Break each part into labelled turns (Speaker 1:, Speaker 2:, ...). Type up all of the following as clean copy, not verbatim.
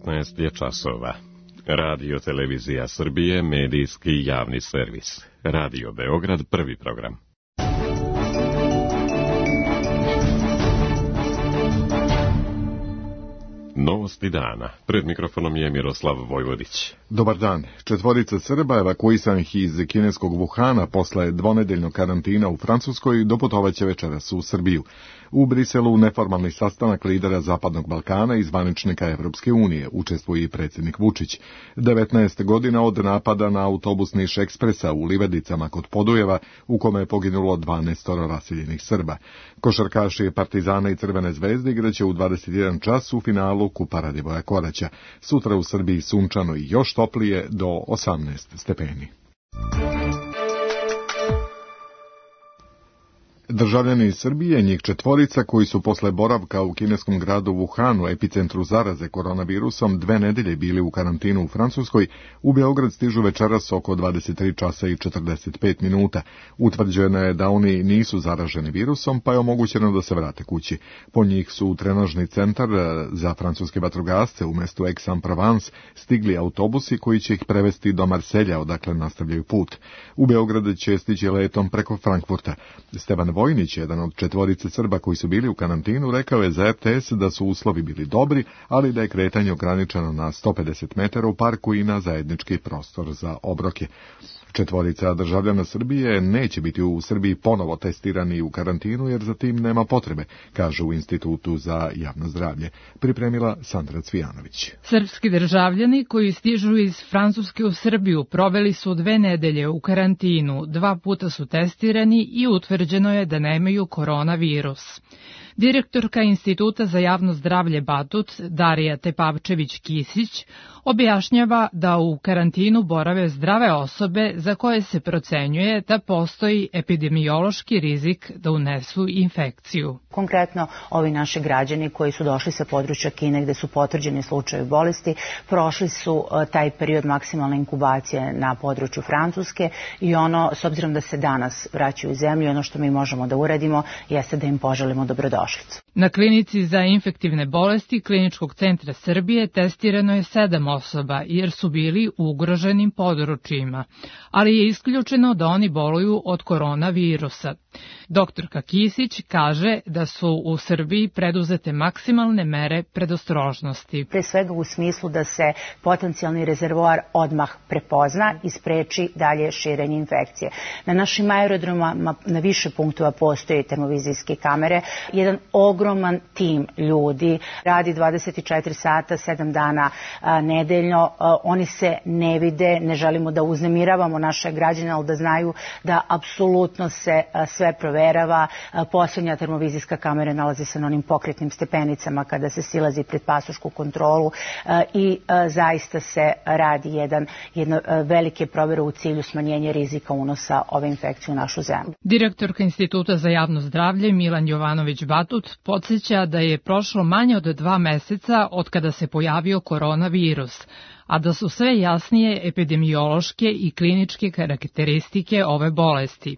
Speaker 1: 19 je časova. Radio Televizija Srbije, medijski javni servis. Radio Beograd, prvi program. Novosti dana. Pred mikrofonom je Miroslav Vojvodić.
Speaker 2: Dobar dan. 4 Srba evakuisanih iz kineskog Wuhana posle dvonedeljnog karantina u Francuskoj doputovaće večeras u Srbiju. U Briselu neformalni sastanak lidera Zapadnog Balkana i zvaničnika Evropske unije učestvuje i predsjednik Vučić. 19 godina od napada na autobus Niš Ekspresa u Livedicama kod Podujeva, u kome je poginulo 12 raseljenih Srba. Košarkaši Partizana i Crvene zvezde igraće u 21 čas u finalu Kupa Radivoja Koraća. Sutra u Srbiji sunčano i još toplije do 18 stepeni. Državljani iz Srbije, njih 4 koji su posle boravka u kineskom gradu Wuhanu, epicentru zaraze koronavirusom, 2 nedelje bili u karantinu u Francuskoj, u Beograd stižu večeras oko 23 časa i 45 minuta. Utvrđeno je da oni nisu zaraženi virusom, pa je omogućeno da se vrate kući. Po njih su u trenažni centar za francuske vatrogasce u mestu Aix-en-Provence stigli autobusi koji će ih prevesti do Marselja, odakle nastavljaju put. U Beograd će stići letom preko Frankfurta. Stevan Vojnić, jedan od 4 Srba koji su bili u karantinu, rekao je za RTS da su uslovi bili dobri, ali da je kretanje ograničeno na 150 metara u parku i na zajednički prostor za obroke. 4 državljana Srbije neće biti u Srbiji ponovo testirani u karantinu jer za tim nema potrebe, kaže u Institutu za javno zdravlje. Pripremila Sandra Cvijanović.
Speaker 3: Srpski državljani koji stižu iz Francuske u Srbiju proveli su 2 nedelje u karantinu, 2 puta su testirani i utvrđeno je da nemaju koronavirus. Direktorka Instituta za javno zdravlje Batut, Darija Tepavčević-Kisić, objašnjava da u karantinu borave zdrave osobe za koje se procenjuje da postoji epidemiološki rizik da unesu infekciju.
Speaker 4: Konkretno, ovi naši građani koji su došli sa područja Kine gde su potvrđeni slučajevi bolesti, prošli su taj period maksimalne inkubacije na području Francuske i s obzirom da se danas vraćaju u zemlju, ono što mi možemo da uradimo jeste da im poželimo dobrodošlicu.
Speaker 3: Na klinici za infektivne bolesti Kliničkog centra Srbije testirano je 7 osoba jer su bili u ugroženim područjima, ali je isključeno da oni boluju od koronavirusa. Doktorka Kisić kaže da su u Srbiji preduzete maksimalne mere predostrožnosti.
Speaker 4: Pre svega u smislu da se potencijalni rezervoar odmah prepozna i spreči dalje širenje infekcije. Na našim aerodromama na više punktova postoje termovizijske kamere. Jedan ogroman tim ljudi radi 24 sata, 7 dana nedeljno. Oni se ne vide, ne želimo da uznemiravamo naše građane, ali da znaju da apsolutno se sve proverava. Poslednja termovizijska kamera nalazi se na onim pokretnim stepenicama kada se silazi pred pasošku kontrolu i zaista se radi jedna velike provere u cilju smanjenja rizika unosa ove infekcije u našu zemlju.
Speaker 3: Direktorka Instituta za javno zdravlje Milan Jovanović-Batut podsjeća da je prošlo manje od 2 meseca od kada se pojavio koronavirus, a da su sve jasnije epidemiološke i kliničke karakteristike ove bolesti.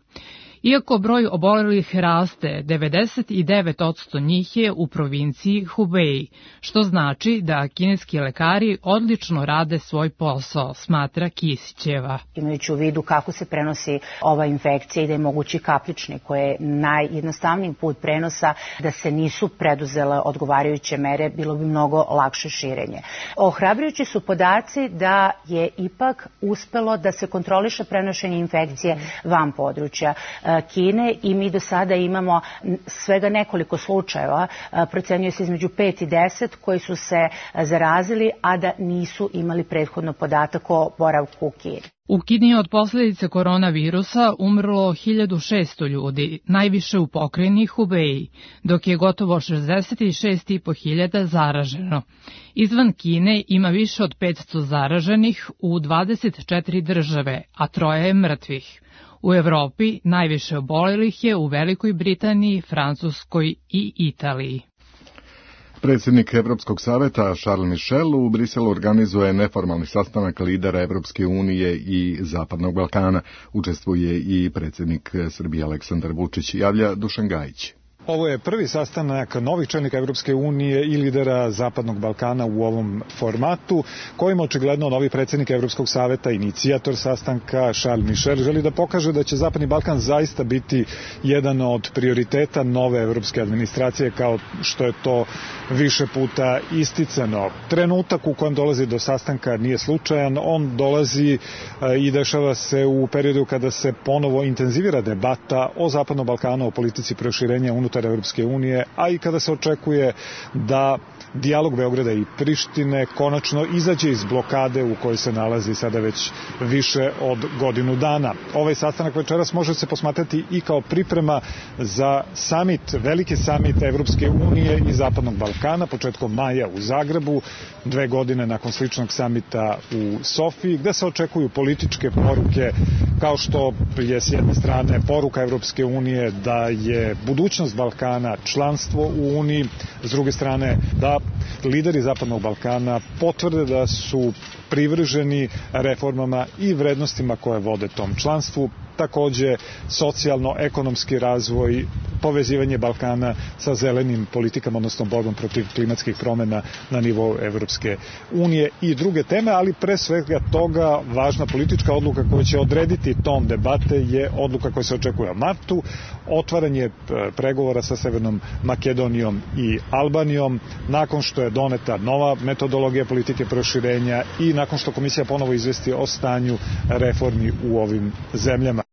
Speaker 3: Iako broj obolelih raste, 99% njih je u provinciji Hubei, što znači da kineski lekari odlično rade svoj posao, smatra Kisićeva.
Speaker 4: Imajući u vidu kako se prenosi ova infekcija i da je mogući kapljični, koji je najjednostavniji put prenosa, da se nisu preduzele odgovarajuće mere, bilo bi mnogo lakše širenje. Ohrabrujući su podaci da je ipak uspelo da se kontroliše prenošenje infekcije van područja Kine i mi do sada imamo svega nekoliko slučajeva, procenjuje se između 5 i 10 koji su se zarazili, a da nisu imali prethodno podatak o boravku u Kini.
Speaker 3: U Kini je od posljedice koronavirusa umrlo 1600 ljudi, najviše u pokrajini Hubei, dok je gotovo 66.500 zaraženo. Izvan Kine ima više od 500 zaraženih u 24 države, a 3 je mrtvih. U Evropi najviše obolelih je u Velikoj Britaniji, Francuskoj i Italiji.
Speaker 2: Predsjednik Evropskog saveta Charles Michel u Briselu organizuje neformalni sastanak lidera Evropske unije i Zapadnog Balkana. Učestvuje i predsjednik Srbije Aleksandar Vučić, javlja Dušan Gajić.
Speaker 5: Ovo je prvi sastanak novih čelnika Evropske unije i lidera Zapadnog Balkana u ovom formatu, kojim očigledno novi predsjednik Evropskog saveta, inicijator sastanka Charles Michel, želi da pokaže da će Zapadni Balkan zaista biti jedan od prioriteta nove evropske administracije, kao što je to više puta isticano. Trenutak u kojem dolazi do sastanka nije slučajan, on dolazi i dešava se u periodu kada se ponovo intenzivira debata o Zapadnom Balkanu, o politici proširenja unutar Evropske unije, a i kada se očekuje da dijalog Beograda i Prištine konačno izađe iz blokade u kojoj se nalazi sada već više od godinu dana. Ovaj sastanak večeras može se posmatrati i kao priprema za samit, veliki samit Evropske unije i Zapadnog Balkana početkom maja u Zagrebu, 2 godine nakon sličnog samita u Sofiji, gde se očekuju političke poruke, kao što je s jedne strane poruka Evropske unije da je budućnost Balkana članstvo u Uniji, s druge strane da lideri Zapadnog Balkana potvrde da su privrženi reformama i vrednostima koje vode tom članstvu, takođe socijalno-ekonomski razvoj, povezivanje Balkana sa zelenim politikama, odnosno borbom protiv klimatskih promjena na nivou Evropske unije i druge teme, ali pre svega toga važna politička odluka koja će odrediti ton debate je odluka koja se očekuje u martu, otvaranje pregovora sa Severnom Makedonijom i Albanijom, nakon što je doneta nova metodologija politike proširenja i nakon što komisija ponovo izvesti o stanju reformi u ovim zemljama.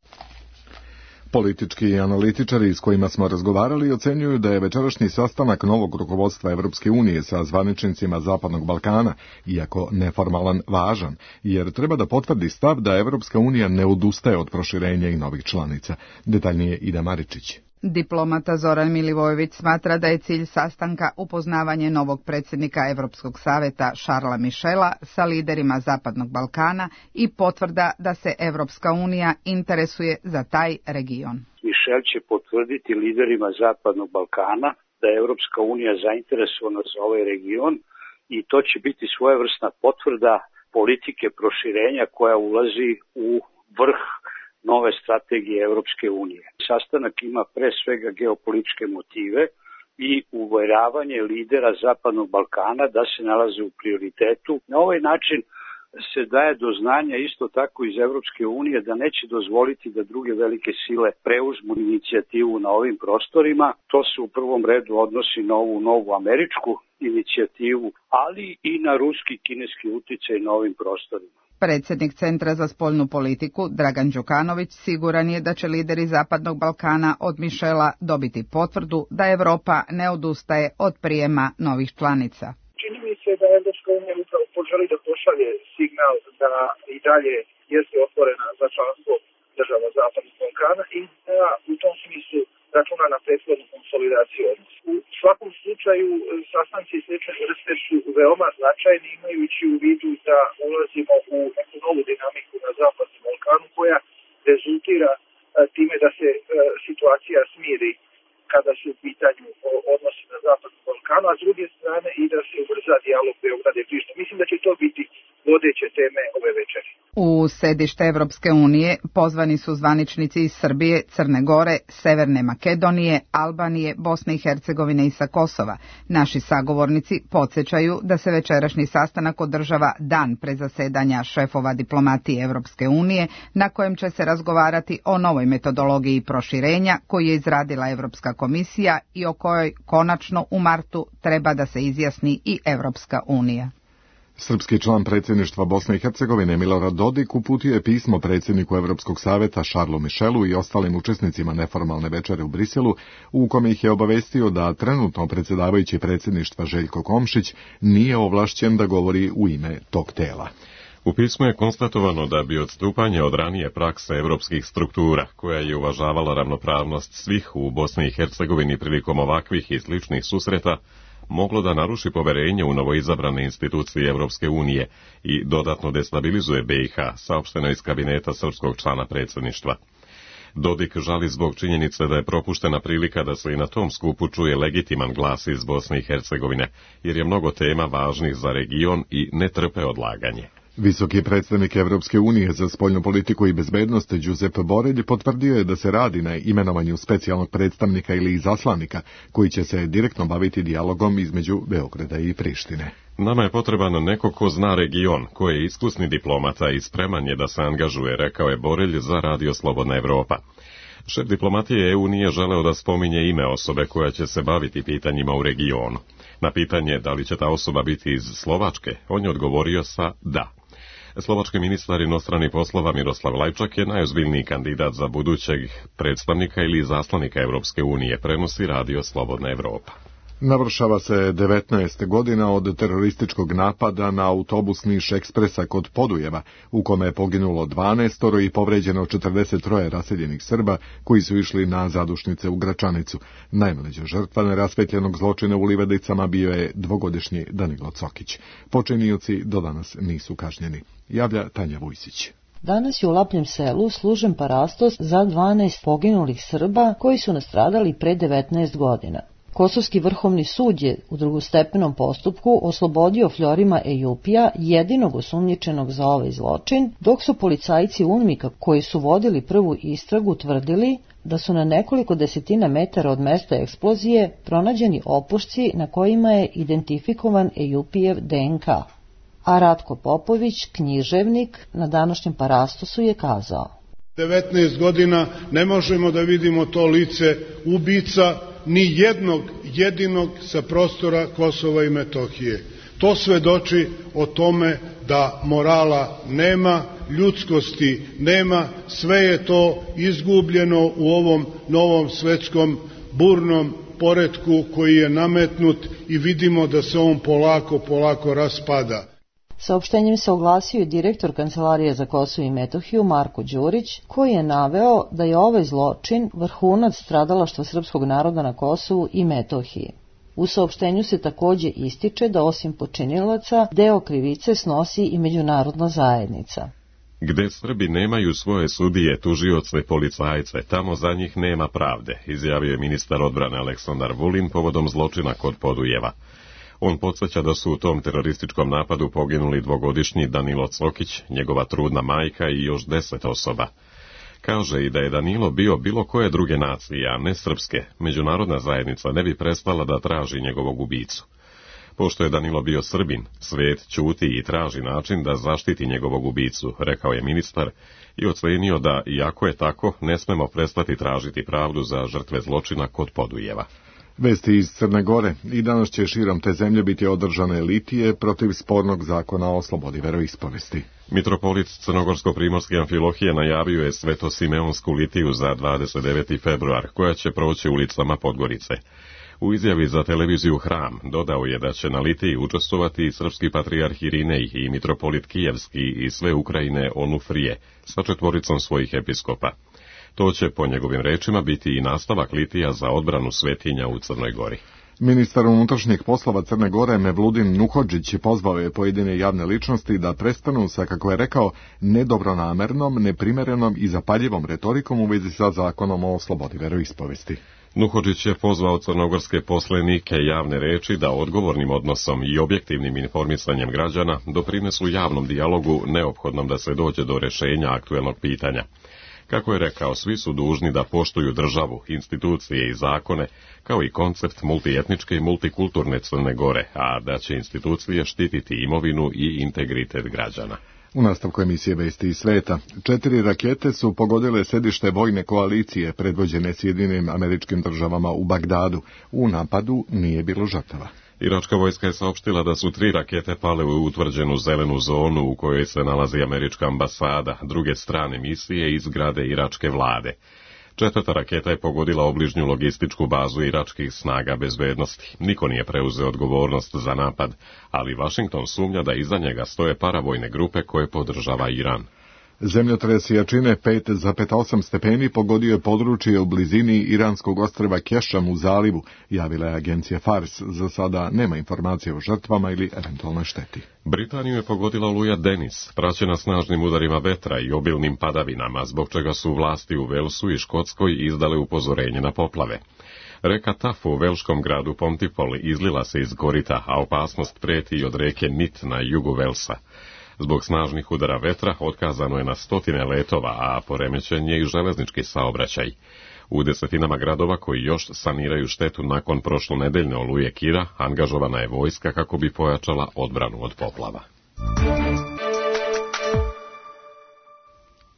Speaker 2: Politički analitičari s kojima smo razgovarali ocenjuju da je večerašnji sastanak novog rukovodstva Evropske unije sa zvaničnicima Zapadnog Balkana, iako neformalan, važan, jer treba da potvrdi stav da Evropska unija ne odustaje od proširenja i novih članica. Detaljnije Ida Maričić.
Speaker 6: Diplomata Zoran Milivojević smatra da je cilj sastanka upoznavanje novog predsjednika Evropskog saveta Charlesa Michela sa liderima Zapadnog Balkana i potvrda da se Evropska unija interesuje za taj region.
Speaker 7: Michel će potvrditi liderima Zapadnog Balkana da je Evropska unija zainteresovana za ovaj region i to će biti svojevrsna potvrda politike proširenja koja ulazi u vrh nove strategije Evropske unije. Sastanak ima pre svega geopolitičke motive i uveravanje lidera Zapadnog Balkana da se nalaze u prioritetu. Na ovaj način se daje do znanja isto tako iz Evropske unije da neće dozvoliti da druge velike sile preuzmu inicijativu na ovim prostorima. To se u prvom redu odnosi na ovu novu američku inicijativu, ali i na ruski i kineski uticaj na ovim prostorima.
Speaker 6: Predsjednik Centra za spoljnu politiku, Dragan Đukanović, siguran je da će lideri Zapadnog Balkana od Michela dobiti potvrdu da Evropa ne odustaje od prijema novih članica.
Speaker 8: Čini mi se da Evropska unija upravo poželi da pošalje signal da i dalje jeste otvorena za članstvo država Zapadnog Balkana i da u tom smislu računa na prethodnu konsolidaciju odnosa. U svakom slučaju sastanci slične vrste su veoma značajni, imajući u vidu da ulazimo u neku novu dinamiku na Zapadnom Balkanu koja rezultira time da se situacija smiri kada su u pitanju odnosi na Zapadnom Balkanu, a s druge strane i da se ubrza dijalog Beograda i Prištine. Mislim da će to biti vodeće teme ove večeri.
Speaker 6: U sedište Evropske unije pozvani su zvaničnici iz Srbije, Crne Gore, Severne Makedonije, Albanije, Bosne i Hercegovine i sa Kosova. Naši sagovornici podsjećaju da se večerašnji sastanak održava dan pre zasedanja šefova diplomatije Evropske unije, na kojem će se razgovarati o novoj metodologiji proširenja koju je izradila Evropska komisija i o kojoj konačno u martu treba da se izjasni i Evropska unija.
Speaker 2: Srpski član predsjedništva Bosne i Hercegovine Milorad Dodik uputio je pismo predsjedniku Evropskog saveta Charlesu Michelu i ostalim učesnicima neformalne večere u Briselu, u kome ih je obavestio da trenutno predsjedavajući predsjedništva Željko Komšić nije ovlašćen da govori u ime tog tela.
Speaker 1: U pismu je konstatovano da bi odstupanje od ranije prakse evropskih struktura, koja je uvažavala ravnopravnost svih u Bosni i Hercegovini prilikom ovakvih i sličnih susreta, moglo da naruši poverenje u novoizabrane institucije Evropske unije i dodatno destabilizuje BiH, saopšteno iz kabineta srpskog člana predsjedništva. Dodik žali zbog činjenice da je propuštena prilika da se i na tom skupu čuje legitiman glas iz Bosne i Hercegovine, jer je mnogo tema važnih za region i ne trpe odlaganje.
Speaker 2: Visoki predstavnik Evropske unije za spoljnu politiku i bezbednost Giuseppe Borrell potvrdio je da se radi na imenovanju specijalnog predstavnika ili izaslanika koji će se direktno baviti dijalogom između Beograda i Prištine.
Speaker 1: Nama je potreban neko ko zna region, ko je iskusni diplomata i spreman je da se angažuje, rekao je Borrell za Radio Slobodna Evropa. Šef diplomatije EU nije želeo da spominje ime osobe koja će se baviti pitanjima u regionu. Na pitanje da li će ta osoba biti iz Slovačke, on je odgovorio sa da. Slovački ministar inostranih poslova Miroslav Lajčak je najozbiljniji kandidat za budućeg predstavnika ili izaslanika Evropske unije, prenosi Radio Slobodna Evropa.
Speaker 2: Navršava se 19 godina od terorističkog napada na autobus Niš Ekspresa kod Podujeva, u kome je poginulo 12 i povređeno 43 raseljenih Srba koji su išli na zadušnice u Gračanicu. Najmlađa žrtva nerasvetljenog zločina u Livadicama bio je dvogodišnji Danilo Cokić. Počinioci do danas nisu kažnjeni. Javlja Tanja Vujsić.
Speaker 9: Danas je u Lapljem selu služen parastos za 12 poginulih Srba koji su nastradali pre 19 godina. Kosovski vrhovni sud je u drugostepenom postupku oslobodio Fjorima Ejupija, jedinog osumnjičenog za ovaj zločin, dok su policajci UNMIK-a koji su vodili prvu istragu tvrdili da su na nekoliko desetina metara od mesta eksplozije pronađeni opušci na kojima je identifikovan Ejupijev DNK. A Ratko Popović, književnik, na današnjem parastosu je kazao:
Speaker 10: 19 godina ne možemo da vidimo to lice ubica, ni jednog jedinog sa prostora Kosova i Metohije. To svedoči o tome da morala nema, ljudskosti nema, sve je to izgubljeno u ovom novom svetskom burnom poretku koji je nametnut i vidimo da se on polako raspada.
Speaker 9: Saopštenjem se oglasio i direktor Kancelarije za Kosovo i Metohiju Marko Đurić, koji je naveo da je ovaj zločin vrhunac stradalaštva srpskog naroda na Kosovu i Metohiji. U saopštenju se takođe ističe da osim počinilaca deo krivice snosi i međunarodna zajednica.
Speaker 1: Gde Srbi nemaju svoje sudije, tužioce, policajce, tamo za njih nema pravde, izjavio je ministar odbrane Aleksandar Vulin povodom zločina kod Podujeva. On podsjeća da su u tom terorističkom napadu poginuli dvogodišnji Danilo Cokić, njegova trudna majka i još 10 osoba. Kaže i da je Danilo bio bilo koje druge nacije, a ne srpske, međunarodna zajednica ne bi prestala da traži njegovog ubicu. Pošto je Danilo bio Srbin, svet ćuti i traži način da zaštiti njegovog ubicu, rekao je ministar i ocenio da, iako je tako, ne smemo prestati tražiti pravdu za žrtve zločina kod Podujeva.
Speaker 2: Vesti iz Crne Gore. I danas će širom te zemlje biti održane litije protiv spornog zakona o slobodi veroispovesti.
Speaker 1: Mitropolit Crnogorsko-primorski Amfilohije najavio je Svetosimeonsku litiju za 29. februar, koja će proći ulicama Podgorice. U izjavi za televiziju Hram dodao je da će na litiji učestvovati i srpski patrijarh Irinej i mitropolit Kijevski i sve Ukrajine Onufrije sa 4 svojih episkopa. To će, po njegovim rečima, biti i nastavak litija za odbranu svetinja u Crnoj Gori.
Speaker 2: Ministar unutrašnjih poslova Crne Gore Mevludin Nuhodžić pozvao je pojedine javne ličnosti da prestanu sa, kako je rekao, nedobronamernom, neprimerenom i zapaljivom retorikom u vezi sa zakonom o slobodi veroispovesti.
Speaker 1: Nuhodžić je pozvao crnogorske poslenike javne reči da odgovornim odnosom i objektivnim informisanjem građana doprinesu javnom dijalogu neophodnom da se dođe do rešenja aktuelnog pitanja. Kako je rekao, svi su dužni da poštuju državu, institucije i zakone, kao i koncept multietničke i multikulturne Crne Gore, a da će institucije štititi imovinu i integritet građana.
Speaker 2: U nastavku emisije Vesti iz sveta, 4 rakete su pogodile sedište vojne koalicije predvođene Sjedinjenim Američkim Državama u Bagdadu. U napadu nije bilo žrtava.
Speaker 1: Iračka vojska je saopštila da su 3 rakete pale u utvrđenu zelenu zonu u kojoj se nalazi američka ambasada, druge strane misije i zgrade iračke vlade. 4. raketa je pogodila obližnju logističku bazu iračkih snaga bezbednosti. Niko nije preuzeo odgovornost za napad, ali Vašington sumnja da iza njega stoje paravojne grupe koje podržava Iran.
Speaker 2: Zemljotres jačine 5,8 stepeni pogodio je područje u blizini iranskog ostrva Kešam u zalivu, javila je agencija Fars. Za sada nema informacije o žrtvama ili eventualnoj šteti.
Speaker 1: Britaniju je pogodila oluja Denis, praćena snažnim udarima vetra i obilnim padavinama, zbog čega su vlasti u Velsu i Škotskoj izdale upozorenje na poplave. Reka Tafu u velškom gradu Pontypool izlila se iz korita, a opasnost preti i od reke Nit na jugu Velsa. Zbog snažnih udara vetra otkazano je na stotine letova, a poremećen je i železnički saobraćaj. U desetinama gradova koji još saniraju štetu nakon prošlonedeljne oluje Kira, angažovana je vojska kako bi pojačala odbranu od poplava.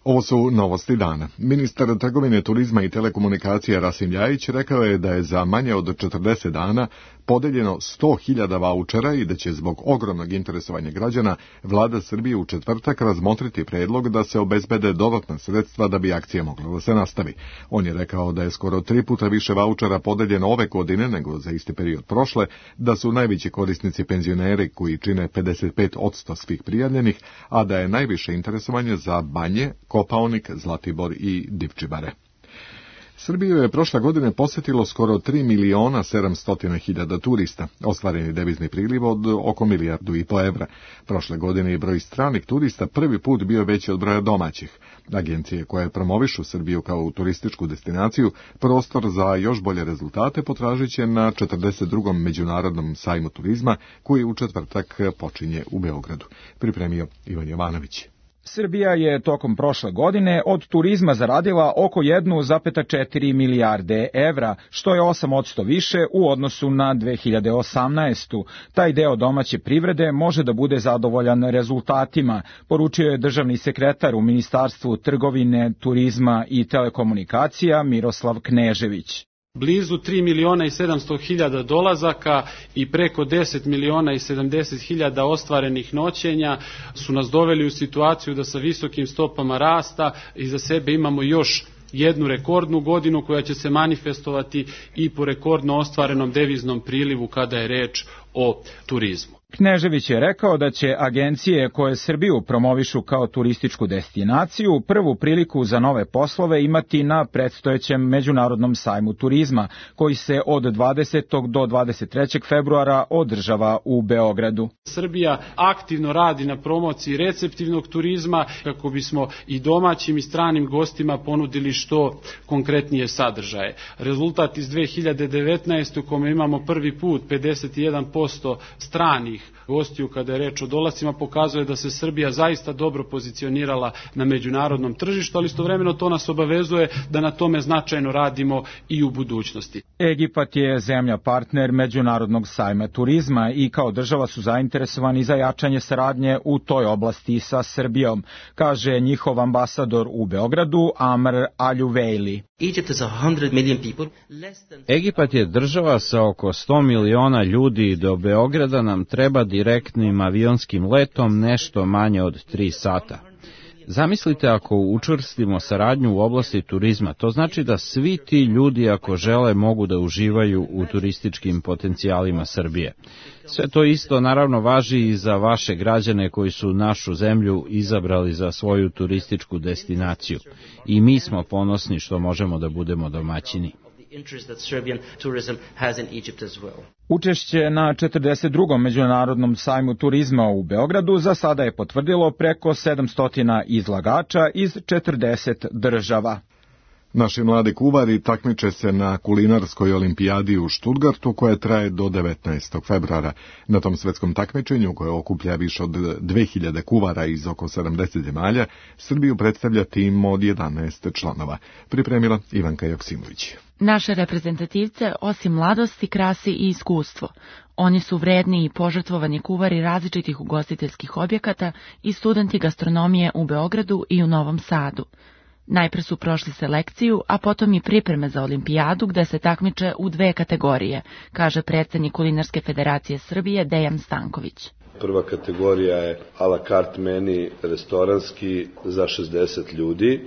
Speaker 2: Ovo su novosti dana. Ministar trgovine, turizma i telekomunikacija Rasim Ljajić rekao je da je za manje od 40 dana podeljeno 100.000 vaučera i da će zbog ogromnog interesovanja građana vlada Srbije u četvrtak razmotriti predlog da se obezbede dodatna sredstva da bi akcija mogla da se nastavi. On je rekao da je skoro 3 puta više vaučera podeljeno ove godine nego za isti period prošle, da su najveći korisnici penzioneri koji čine 55% svih prijavljenih, a da je najviše interesovanje za Banje, Kopaonik, Zlatibor i Divčibare. Srbiju je prošle godine posetilo skoro 3.700.000 turista, ostvareni devizni priliv od oko 1,5 milijarde evra. Prošle godine je broj stranih turista prvi put bio veći od broja domaćih. Agencije koje promovišu Srbiju kao turističku destinaciju, prostor za još bolje rezultate potražit će na 42. međunarodnom sajmu turizma, koji u četvrtak počinje u Beogradu. Pripremio Ivan Jovanović.
Speaker 11: Srbija je tokom prošle godine od turizma zaradila oko 1,4 milijarde evra, što je 8% više u odnosu na 2018. Taj deo domaće privrede može da bude zadovoljan rezultatima, poručio je državni sekretar u Ministarstvu trgovine, turizma i telekomunikacija Miroslav Knežević.
Speaker 12: Blizu 3.700.000 dolazaka i preko 10.070.000 ostvarenih noćenja su nas doveli u situaciju da sa visokim stopama rasta iza sebe imamo još jednu rekordnu godinu koja će se manifestovati i po rekordno ostvarenom deviznom prilivu kada je reč o turizmu.
Speaker 11: Knežević je rekao da će agencije koje Srbiju promovišu kao turističku destinaciju prvu priliku za nove poslove imati na predstojećem Međunarodnom sajmu turizma, koji se od 20. do 23. februara održava u Beogradu.
Speaker 12: Srbija aktivno radi na promociji receptivnog turizma kako bismo i domaćim i stranim gostima ponudili što konkretnije sadržaje. Rezultat iz 2019. u kome imamo prvi put 51% stranih gostiju kada je reč o dolascima pokazuje da se Srbija zaista dobro pozicionirala na međunarodnom tržištu, ali istovremeno to nas obavezuje da na tome značajno radimo i u budućnosti.
Speaker 11: Egipat je zemlja partner Međunarodnog sajma turizma i kao država su zainteresovani za jačanje saradnje u toj oblasti sa Srbijom, kaže njihov ambasador u Beogradu Amr Aljuvejli.
Speaker 13: Egipat je država sa oko 100 miliona ljudi i do Beograda nam treba direktnim avionskim letom nešto manje od 3 sata. Zamislite ako učvrstimo saradnju u oblasti turizma, to znači da svi ti ljudi ako žele mogu da uživaju u turističkim potencijalima Srbije. Sve to isto naravno važi i za vaše građane koji su našu zemlju izabrali za svoju turističku destinaciju. I mi smo ponosni što možemo da budemo domaćini.
Speaker 11: Učešće na 42. Međunarodnom sajmu turizma u Beogradu za sada je potvrdilo preko 700 izlagača iz 40 država.
Speaker 2: Naši mladi kuvari takmiče se na kulinarskoj olimpijadi u Stuttgartu koja traje do 19. februara. Na tom svetskom takmičenju koje okuplja više od 2000 kuvara iz oko 70 zemalja, Srbiju predstavlja tim od 11 članova. Pripremila Ivanka Joksimović.
Speaker 14: Naše reprezentativce, osim mladosti, krasi i iskustvo. Oni su vredni i požrtvovani kuvari različitih ugostiteljskih objekata i studenti gastronomije u Beogradu i u Novom Sadu. Najpre su prošli selekciju, a potom i pripreme za olimpijadu gde se takmiče u 2 kategorije, kaže predsednik Kulinarske federacije Srbije Dejan Stanković.
Speaker 15: Prva kategorija je a la carte meni restoranski za 60 ljudi,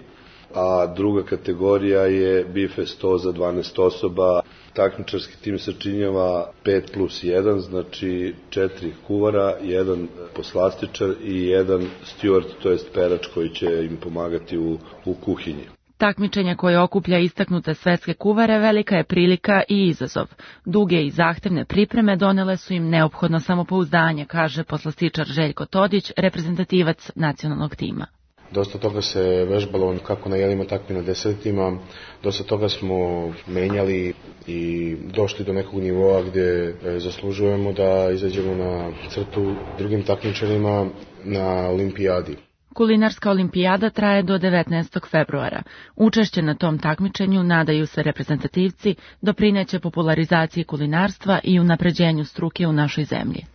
Speaker 15: a druga kategorija je bife 100 za 12 osoba. Takmičarski tim sačinjava 5+1, znači 4 kuvara, 1 poslastičar i 1 steward, to jest perač koji će im pomagati u kuhinji.
Speaker 14: Takmičenje koje okuplja istaknute svetske kuvare velika je prilika i izazov. Duge i zahtevne pripreme donele su im neophodno samopouzdanje, kaže poslastičar Željko Todić, reprezentativac nacionalnog tima.
Speaker 16: Dosta toga se vežbalo kako na jelima, tako i na desertima. Dosta toga smo menjali i došli do nekog nivoa gdje zaslužujemo da izađemo na crtu drugim takmičarima na olimpijadi.
Speaker 14: Kulinarska olimpijada traje do 19. februara. Učešće na tom takmičenju, nadaju se reprezentativci, doprineće popularizaciji kulinarstva i unapređenju struke u našoj zemlji.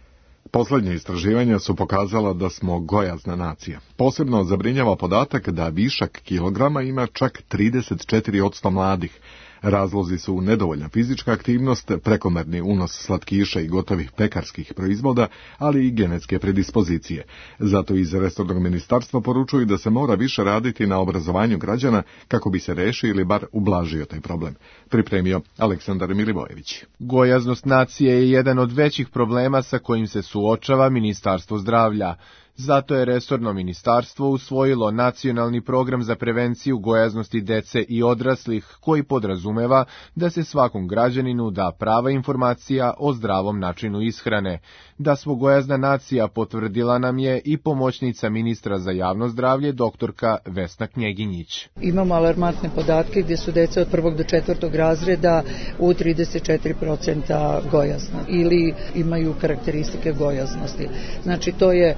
Speaker 2: Poslednje istraživanja su pokazala da smo gojazna nacija. Posebno zabrinjava podatak da višak kilograma ima čak 34% mladih. Razlozi su nedovoljna fizička aktivnost, prekomerni unos slatkiša i gotovih pekarskih proizvoda, ali i genetske predispozicije. Zato iz resornog ministarstva poručuju da se mora više raditi na obrazovanju građana kako bi se rešio ili bar ublažio taj problem. Pripremio Aleksandar Milivojević.
Speaker 17: Gojaznost nacije je jedan od većih problema sa kojim se suočava Ministarstvo zdravlja. Zato je resorno ministarstvo usvojilo nacionalni program za prevenciju gojaznosti dece i odraslih, koji podrazumeva da se svakom građaninu da prava informacija o zdravom načinu ishrane. Da smo gojazna nacija potvrdila nam je i pomoćnica ministra za javno zdravlje, doktorka Vesna Knjeginjić.
Speaker 18: Imamo alarmantne podatke gdje su deca od 1. do 4. razreda u 34% gojazna ili imaju karakteristike gojaznosti. Znači to je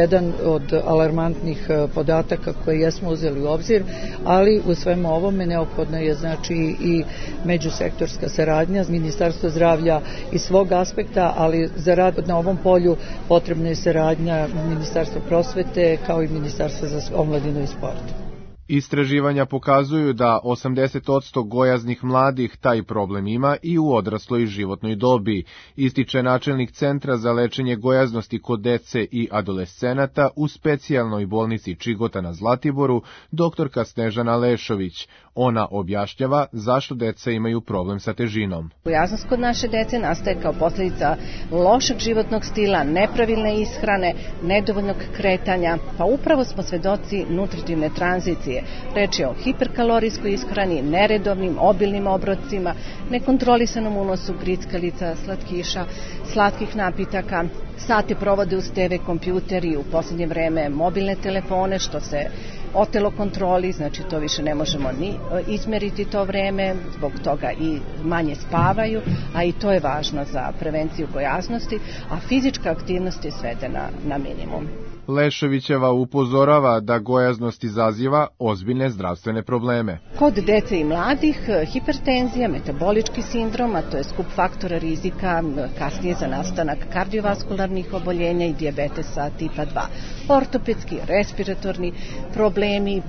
Speaker 18: jedan od alarmantnih podataka koje jesmo uzeli u obzir, ali u svemu ovome neophodno je znači i međusektorska saradnja Ministarstva zdravlja iz svog aspekta, ali za rad na ovom polju potrebna je saradnja Ministarstva prosvete kao i Ministarstva za omladinu i sport.
Speaker 17: Istraživanja pokazuju da 80% gojaznih mladih taj problem ima i u odrasloj životnoj dobi, ističe načelnik Centra za lečenje gojaznosti kod dece i adolescenata u specijalnoj bolnici Čigota na Zlatiboru, doktorka Snežana Lešović. Ona objašnjava zašto deca imaju problem sa težinom.
Speaker 19: Gojaznost kod naše dece nastaje kao posljedica lošeg životnog stila, nepravilne ishrane, nedovoljnog kretanja, pa upravo smo svedoci nutritivne tranzicije. Reč je o hiperkalorijskoj ishrani, neredovnim, obilnim obrocima, nekontrolisanom unosu grickalica, slatkiša, slatkih napitaka. Sate provode uz TV, kompjuter i u posljednje vreme mobilne telefone, što se otelo kontroli, znači to više ne možemo ni izmeriti to vreme, zbog toga i manje spavaju, a i to je važno za prevenciju gojaznosti, a fizička aktivnost je svedena na minimum.
Speaker 17: Leševićeva upozorava da gojaznost izaziva ozbiljne zdravstvene probleme.
Speaker 19: Kod dece i mladih hipertenzija, metabolički sindrom, a to je skup faktora rizika kasnije za nastanak kardiovaskularnih oboljenja i dijabetesa tipa 2. Ortopedski, respiratorni problemi,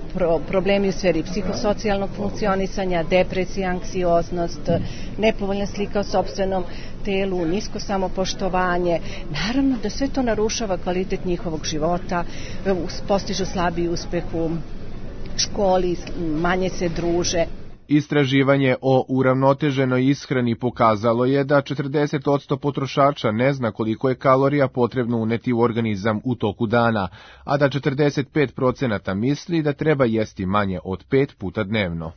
Speaker 19: problemi u sferi psihosocijalnog funkcionisanja, depresija, anksioznost, nepovoljna slika o sopstvenom telu, nisko samopoštovanje. Naravno da sve to narušava kvalitet njihovog života, postižu slabiji uspeh u školi, manje se druže.
Speaker 17: Istraživanje o uravnoteženoj ishrani pokazalo je da 40% potrošača ne zna koliko je kalorija potrebno uneti u organizam u toku dana, a da 45% misli da treba jesti manje od 5 puta dnevno.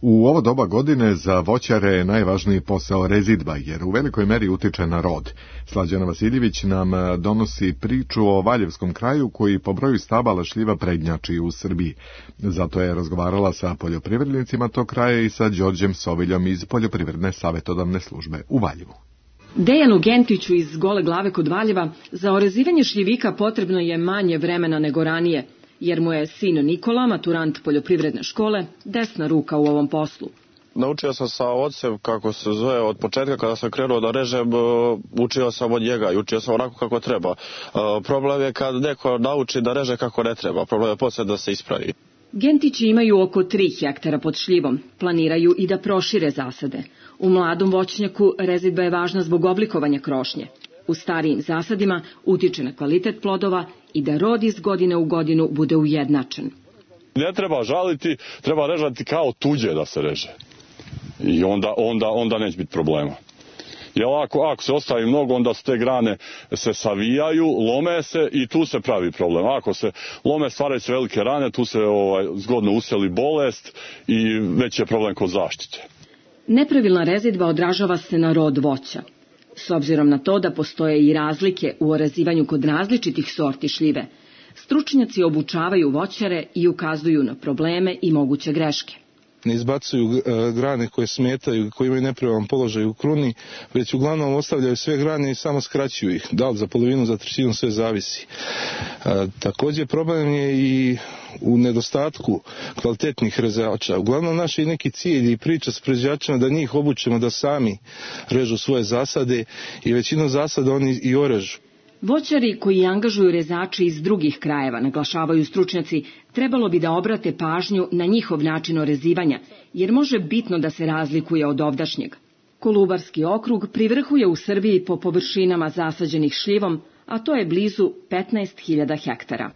Speaker 2: U ovo doba godine za voćare je najvažniji posao rezidba, jer u velikoj meri utiče na rod. Slađana Vasiljević nam donosi priču o Valjevskom kraju koji po broju stabala šljiva prednjači u Srbiji. Zato je razgovarala sa poljoprivrednicima tog kraja i sa Đorđem Soviljom iz Poljoprivredne savjetodavne službe u Valjevu.
Speaker 20: Dejanu Gentiću iz Gole Glave kod Valjeva za orezivanje šljivika potrebno je manje vremena nego ranije, jer mu je sin Nikola, maturant poljoprivredne škole, desna ruka u ovom poslu.
Speaker 21: Naučio sam sa ocem, kako se zove, od početka kada sam krenuo da režem, učio sam od njega i učio sam onako kako treba. Problem je kad neko nauči da reže kako ne treba, problem je poslije da se ispravi.
Speaker 20: Gentići imaju oko 3 hektara pod šljivom, planiraju i da prošire zasade. U mladom voćnjaku rezidba je važna zbog oblikovanja krošnje. U starijim zasadima utiče na kvalitet plodova i da rod iz godine u godinu bude ujednačen.
Speaker 21: Ne treba žaliti, treba režati kao tuđe da se reže. I onda neće biti problema. Jer ako se ostavi mnogo, onda su te grane se savijaju, lome se i tu se pravi problem. Ako se lome, stvaraju se velike rane, tu se zgodno useli bolest i već je problem kod zaštite.
Speaker 20: Nepravilna rezidba odražava se na rod voća. S obzirom na to da postoje i razlike u orezivanju kod različitih sorti šljive, stručnjaci obučavaju voćare i ukazuju na probleme i moguće greške.
Speaker 4: Ne izbacuju grane koje smetaju, koje imaju nepravilan položaj u kruni, već uglavnom ostavljaju sve grane i samo skraćuju ih. Da li za polovinu, za trećinu, sve zavisi. Također problem je i u nedostatku kvalitetnih rezača. Uglavnom naš je neki cilj i priča s proizvođačima da njih obučimo da sami režu svoje zasade i većinu zasada oni i orežu.
Speaker 20: Voćari koji angažuju rezače iz drugih krajeva, naglašavaju stručnjaci, trebalo bi da obrate pažnju na njihov način orezivanja, jer može bitno da se razlikuje od ovdašnjeg. Kolubarski okrug privrhuje u Srbiji po površinama zasađenih šljivom, a to je blizu 15.000 hektara.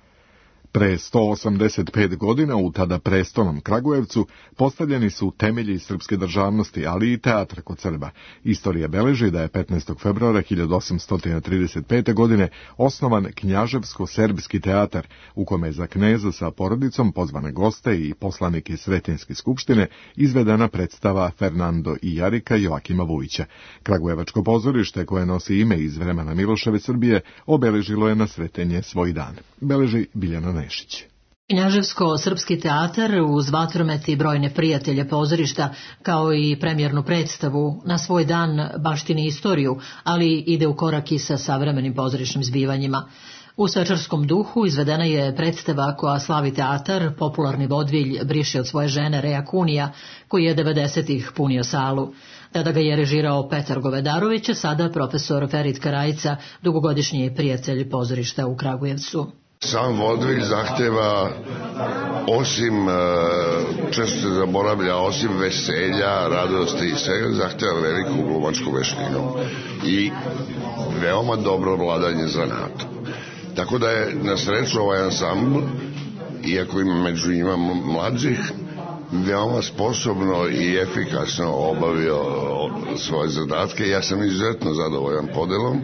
Speaker 2: Pre 185 godina u tada prestolnom Kragujevcu postavljeni su temelji srpske državnosti, ali i teatra kod Srba. Istorija beleži da je 15. februara 1835. godine osnovan Knjaževsko-serbski teatar, u kome je za kneza sa porodicom, pozvane goste i poslanike Sretenjske skupštine izvedena predstava Fernando i Jarika Joakima Vujića. Kragujevačko pozorište, koje nosi ime iz vremena Miloševe Srbije, obeležilo je na Sretenje svoj dan. Beleži Biljana Nešić.
Speaker 22: Knjaževsko-srpski teatar uz vatromet i brojne prijatelje pozorišta, kao i premijernu predstavu, na svoj dan baštini istoriju, ali ide u korak i sa savremenim pozorišnim zbivanjima. U svečarskom duhu izvedena je predstava koja slavi teatar, popularni vodvilj Briše od svoje žene Reja Kunija, koji je 90-ih punio salu. Tada ga je režirao Petar Govedarović, a sada profesor Ferit Karajica, dugogodišnji prijatelj pozorišta u Kragujevcu.
Speaker 23: Sam vodvilj zahteva, osim, često se zaboravlja, osim veselja, radosti i svega, zahteva veliku glumačku veštinu i veoma dobro vladanje zanatom. Tako da je na sreću ovaj ansambl, iako ima među njima mlađih, veoma sposobno i efikasno obavio svoje zadatke. Ja sam izuzetno zadovoljan podelom,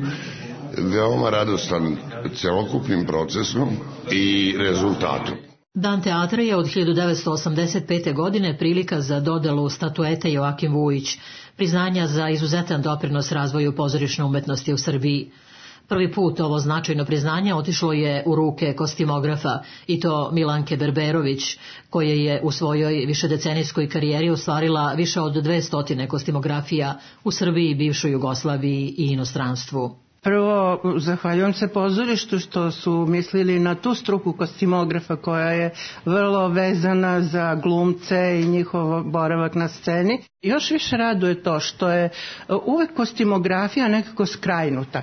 Speaker 23: veoma radostan celokupnim procesom i rezultatom.
Speaker 22: Dan teatra je od 1985. godine prilika za dodelu statuete Joakim Vujić, priznanja za izuzetan doprinos razvoju pozorišne umetnosti u Srbiji. Prvi put ovo značajno priznanje otišlo je u ruke kostimografa, i to Milanke Berberović, koja je u svojoj višedecenijskoj karijeri ostvarila više od 200 kostimografija u Srbiji, bivšoj Jugoslaviji i inostranstvu.
Speaker 24: Prvo, zahvaljujem se pozorištu što su mislili na tu struku kostimografa koja je vrlo vezana za glumce i njihov boravak na sceni. Još više raduje to što je uvek kostimografija nekako skrajnuta.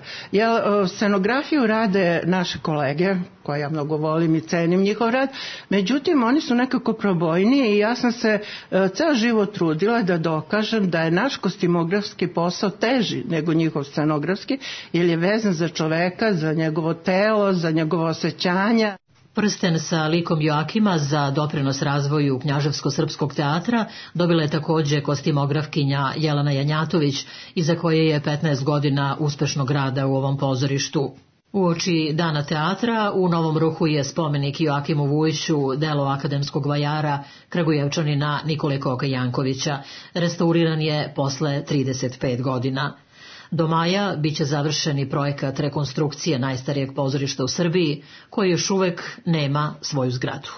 Speaker 24: Scenografiju rade naše kolege, koje ja mnogo volim i cenim njihov rad, međutim oni su nekako probojniji i ja sam se ceo život trudila da dokažem da je naš kostimografski posao teži nego njihov scenografski, jer je vezan za čoveka, za njegovo telo, za njegovo osjećanja.
Speaker 22: Prsten sa likom Joakima za doprinos razvoju Knjaževsko-srpskog teatra dobila je također kostimografkinja Jelena Janjatović, iza koje je 15 godina uspešnog rada u ovom pozorištu. Uoči Dana teatra u Novom Ruhu je spomenik Joakimu Vujiću, delo akademskog vajara Kragujevčanina Nikole Koka Jankovića. Restauriran je posle 35 godina. Do maja biće završeni projekat rekonstrukcije najstarijeg pozorišta u Srbiji, koji još uvek nema svoju zgradu.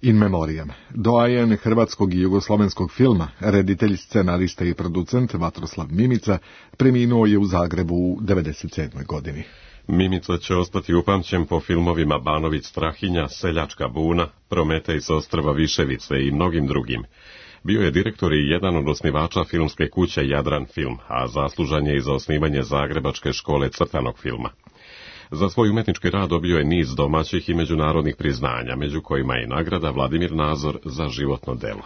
Speaker 2: In memoriam. Doajen hrvatskog i jugoslovenskog filma, reditelj, scenarista i producent Vatroslav Mimica preminuo je u Zagrebu u 97. godini.
Speaker 1: Mimica će ostati upamćen po filmovima Banović Strahinja, Seljačka buna, Prometej s ostrva Viševice i mnogim drugim. Bio je direktor i jedan od osnivača filmske kuće Jadran Film, a zaslužan je i za osnivanje Zagrebačke škole crtanog filma. Za svoj umetnički rad dobio je niz domaćih i međunarodnih priznanja, među kojima je nagrada Vladimir Nazor za životno delo.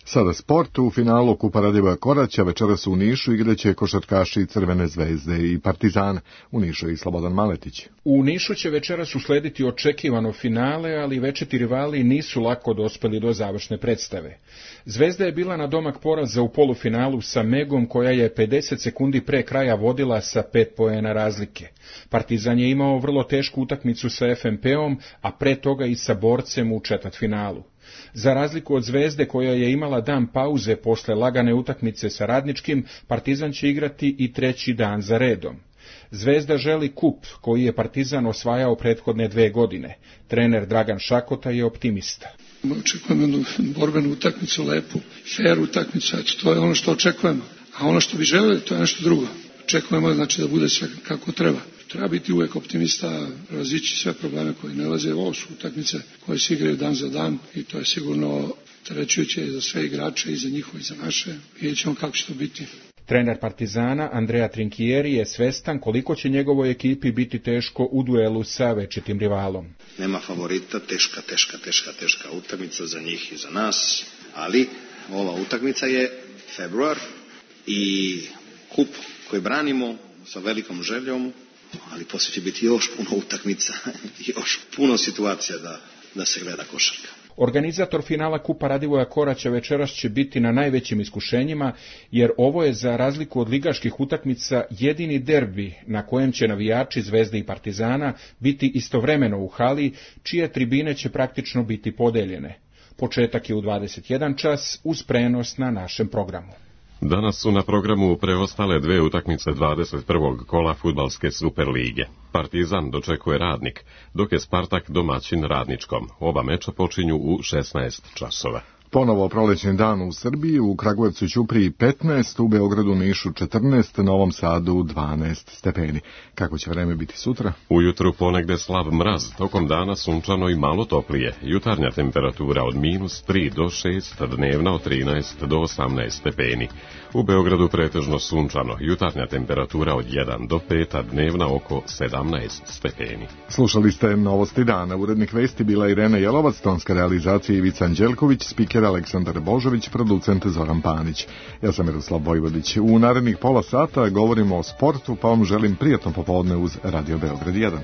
Speaker 2: Sada sport. U finalu Kupa Radivoja Koraća večeras u Nišu igraće košarkaši Crvene zvezde i Partizana. U Nišu i Slobodan Maletić.
Speaker 11: U Nišu će večeras uslediti očekivano finale, ali večiti rivali nisu lako dospeli do završne predstave. Zvezda je bila na domak poraza u polufinalu sa Megom, koja je 50 sekundi pre kraja vodila sa 5 poena razlike. Partizan je imao vrlo tešku utakmicu sa FNP-om, a pre toga i sa Borcem u četvrtfinalu. Za razliku od Zvezde, koja je imala dan pauze posle lagane utakmice sa Radničkim, Partizan će igrati i treći dan za redom. Zvezda želi kup koji je Partizan osvajao prethodne 2 godine. Trener Dragan Šakota je optimista.
Speaker 3: Očekujemo jednu borbenu utakmicu, lepu, fair utakmicu, eto, to je ono što očekujemo. A ono što bi želeli, to je nešto drugo. Očekujemo znači da bude sve kako treba. Treba biti uvek optimista, prevazići sve probleme koji nalaze. Ovo su utakmice koje se igraju dan za dan i to je sigurno trećujuće za sve igrače i za njihove i za naše. Vidjet ćemo kako će to biti.
Speaker 11: Trener Partizana Andrea Trinchieri je svestan koliko će njegovoj ekipi biti teško u duelu sa večitim rivalom.
Speaker 5: Nema favorita, teška utakmica za njih i za nas, ali ova utakmica je februar i kup koji branimo sa velikom željom, ali poslije će biti još puno utakmica, još puno situacija da se gleda košarka.
Speaker 11: Organizator finala Kupa Radivoja Koraća večeras će biti na najvećim iskušenjima, jer ovo je za razliku od ligaških utakmica jedini derbi na kojem će navijači Zvezde i Partizana biti istovremeno u hali, čije tribine će praktično biti podeljene. Početak je u 21 čas uz prenos na našem programu.
Speaker 1: Danas su na programu preostale 2 utakmice 21. kola fudbalske Superlige. Partizan dočekuje Radnik, dok je Spartak domaćin Radničkom. Oba meča počinju u 16 časova.
Speaker 2: Ponovo prolećni dan u Srbiji, u Kragujevcu i Ćupriji 15, u Beogradu, Nišu 14, Novom Sadu 12 stepeni. Kako će vreme biti sutra?
Speaker 1: Ujutru ponegde slab mraz, tokom dana sunčano i malo toplije. Jutarnja temperatura od -3 do 6, dnevna od 13 do 18 stepeni. U Beogradu pretežno sunčano, jutarnja temperatura od 1 do 5, a dnevna oko 17 stepeni.
Speaker 2: Slušali ste Novosti dana. Urednik vesti bila Irena Jelovac, tonska realizacija Ivica Anđelković, spiker Aleksandar Božović, producent Zoran Panić. Ja sam Miroslav Vojvodić. U narednih pola sata govorimo o sportu, pa vam želim prijatno popodne uz Radio Beograd 1.